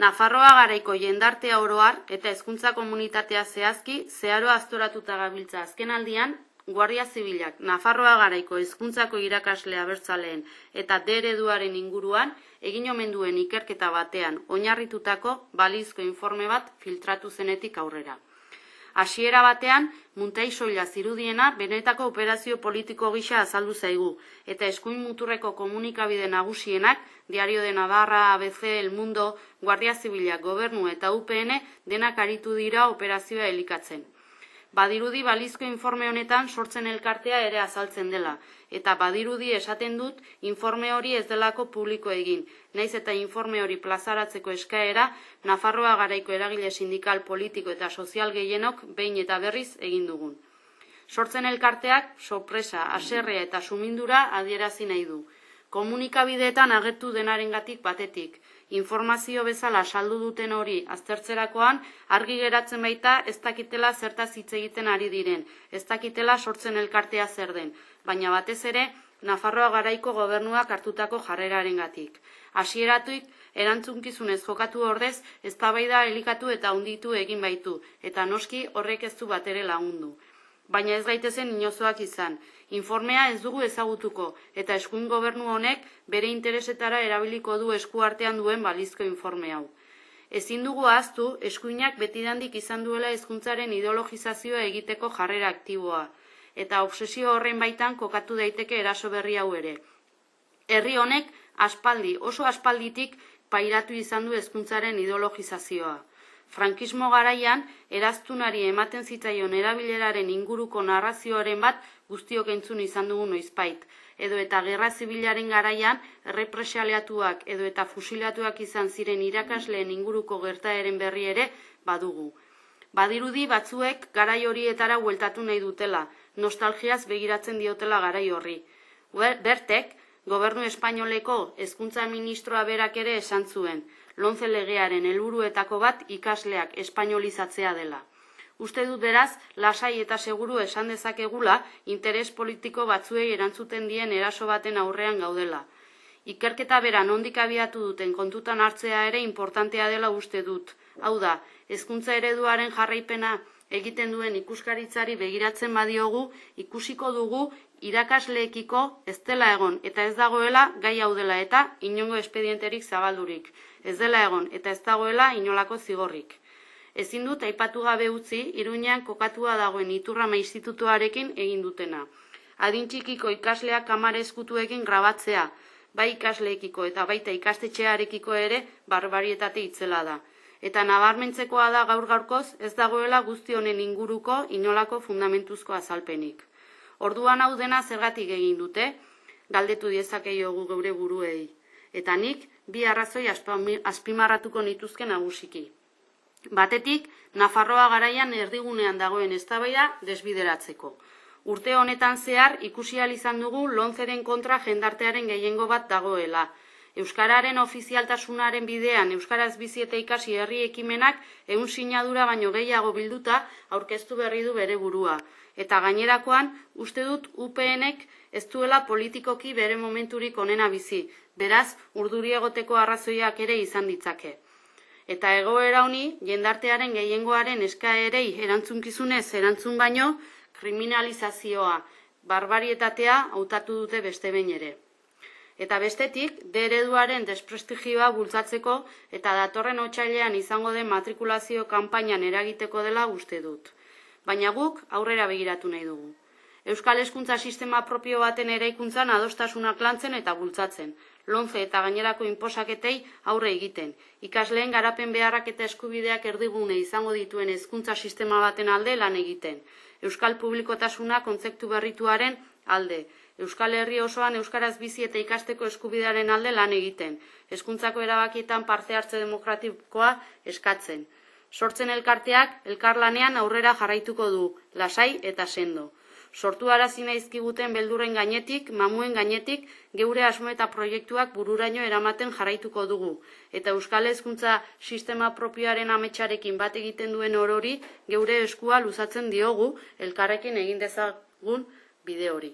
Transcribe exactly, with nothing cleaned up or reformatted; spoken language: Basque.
Nafarroa Garaiko jendartea oro har eta hezkuntza komunitatea zehazki zeharo aztoratuta gabiltza azkenaldian Guardia Zibilak Nafarroa Garaiko hezkuntzako irakasle abertzaleen eta D ereduaren inguruan egin omen duen ikerketa batean oinarritutako balizko informe bat filtratu zenetik aurrera. Hasiera batean, Muntai soila zirudiena benetako operazio politiko gisa azaldu zaigu, eta eskuin muturreko komunikabide nagusienak, Diario de Navarra, A B C, El Mundo, Guardia Zibilak, Gobernu eta U P N denak aritu dira operazioa elikatzen. Badirudi balizko informe honetan sortzen elkartea ere azaltzen dela, eta badirudi esaten dut informe hori ez delako publiko egin, naiz eta informe hori plazaratzeko eskaera Nafarroa Garaiko eragile sindikal, politiko eta sozial gehienok behin eta berriz egin dugun. Sortzen elkarteak sorpresa, haserrea eta sumindura adierazi nahi du. Komunikabideetan agertu denarengatik batetik, informazio bezala saldu duten hori aztertzerakoan argi geratzen baita ez dakitela zertaz hitz egiten ari diren, ez dakitela sortzen elkartea zer den, baina batez ere Nafarroa Garaiko gobernuak hartutako jarrerarengatik. Hasieratuik erantzunkizunez jokatu ordez eztabaida elikatu eta hunditu egin baitu, eta noski horrek ez du batere lagundu. Baina ez gaitezen inozoak izan. Informea ez dugu ezagutuko, eta eskuin gobernu honek bere interesetara erabiliko du eskuartean duen balizko informe hau. Ezin dugu ahaztu, eskuinak betidandik izan duela hezkuntzaren ideologizazioa egiteko jarrera aktiboa, eta obsesio horren baitan kokatu daiteke eraso berri hau ere. Herri honek aspaldi, oso aspalditik pairatu izan du hezkuntzaren ideologizazioa. Frankismo garaian, eraztunari ematen zitzaion erabileraren inguruko narrazioaren bat guztiok entzun izan dugu noizbait, edo eta gerra zibilaren garaian errepresaliatuak edo eta fusilatuak izan ziren irakasleen inguruko gertaeren berri ere badugu. Badirudi batzuek garai horietara bueltatu nahi dutela, nostalgiaz begiratzen diotela garai horri. Bertek, Gobernu Espainoleko hezkuntza ministroa berak ere esan zuen, Lomce legearen helburuetako bat ikasleak espainolizatzea dela. Uste dut beraz, lasai eta seguru esan dezakegula interes politiko batzuei erantzuten dien eraso baten aurrean gaudela. Ikerketa bera nondik abiatu duten kontutan hartzea ere importantea dela uste dut. Hau da, hezkuntza ereduaren jarraipena egiten duen ikuskaritzari begiratzen badiogu, ikusiko dugu irakasleekiko ez dela egon eta ez dagoela gai hau dela eta inongo espedienterik zabaldurik. Ez dela egon eta ez dagoela inolako zigorrik. Ezin dut aipatu gabe utzi, Iruñean kokatua dagoen Iturrama institutuarekin egin dutena. Adin txikiko ikasleak kamara ezkutuekin grabatzea, bai ikasleekiko eta baita ikastetxearekiko ere barbarietate itzela da. Eta nabarmentzekoa da gaur gaurkoz ez dagoela guzti honen inguruko inolako fundamentuzko azalpenik. Orduan hau dena zergatik egin dute, galdetu diezakeiogu geure buruei. Eta nik bi arrazoi azpimarratuko nituzke nagusiki. Batetik, Nafarroa garaian erdigunean dagoen eztabaida desbideratzeko. Urte honetan zehar ikusi ahal izan dugu Lomceren kontra jendartearen gehiengo bat dagoela. Euskararen ofizialtasunaren bidean euskaraz bizi eta ikasi herri ekimenak ehun sinadura baino gehiago bilduta aurkeztu berri du bere burua. Eta gainerakoan, uste dut U P N-ek ez duela politikoki bere momenturik onena bizi, beraz urduri egoteko arrazoiak ere izan ditzake. Eta egoera honi, jendartearen gehiengoaren eskaerei erantzunkizunez erantzun baino, kriminalizazioa, barbarietatea hautatu dute beste behin ere. Eta bestetik, D ereduaren desprestigioa bultzatzeko eta datorren otsailean izango den matrikulazio kanpainan eragiteko dela uste dut. Baina guk aurrera begiratu nahi dugu. Euskal hezkuntza sistema propio baten eraikuntzan adostasunak lantzen eta bultzatzen, Lomce eta gainerako inposaketei aurre egiten, ikasleen garapen beharrak eta eskubideak erdigune izango dituen hezkuntza sistema baten alde lan egiten, Euskal publikotasuna kontzeptu berrituaren alde, Euskal Herri osoan euskaraz bizi eta ikasteko eskubidearen alde lan egiten, hezkuntzako erabakietan parte hartze demokratikoa eskatzen. Sortzen elkarteak elkarlanean aurrera jarraituko du, lasai eta sendo. Sortu arazi naizkiguten beldurren gainetik, mamuen gainetik, geure asmo eta proiektuak bururaino eramaten jarraituko dugu. Eta euskal hezkuntza sistema propioaren ametsarekin bat egiten duen orori, geure eskua luzatzen diogu, elkarrekin egin dezagun bide hori.